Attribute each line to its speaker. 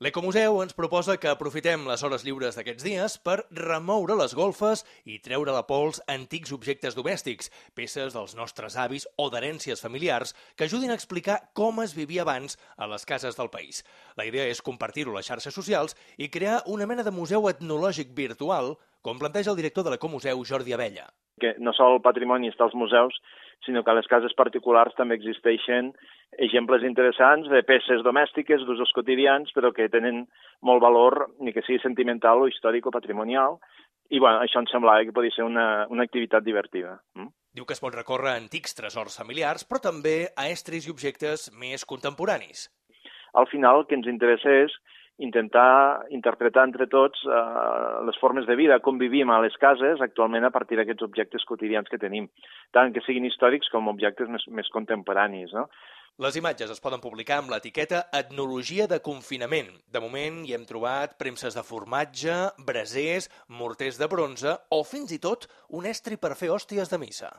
Speaker 1: L'Ecomuseu ens proposa que aprofitem les hores lliures d'aquests dies per remoure les golfes i treure de pols antics objectes domèstics, peces dels nostres avis o d'herències familiars que ajudin a explicar com es vivia abans a les cases del país. La idea és compartir-ho a les xarxes socials i crear una mena de museu etnològic virtual, com planteja el director de l'Ecomuseu, Jordi Abella.
Speaker 2: Que no sol el patrimoni està als museus, sinó que a les cases particulars també existeixen exemples interessants de peces domèstiques d'usos quotidians, però que tenen molt valor, ni que sigui sentimental o històric o patrimonial, i això em semblava que podia ser una activitat divertida.
Speaker 1: Diu que es pot recórrer a antics tresors familiars, però també a estris i objectes més contemporanis.
Speaker 2: Al final el que ens interessa és intentar interpretar entre tots les formes de vida, com vivim a les cases actualment a partir d'aquests objectes quotidians que tenim, tant que siguin històrics com objectes més contemporanis, no?
Speaker 1: Les imatges es poden publicar amb l'etiqueta Etnologia de confinament. De moment hi hem trobat premses de formatge, brasers, morters de bronze o fins i tot un estri per fer hòsties de missa.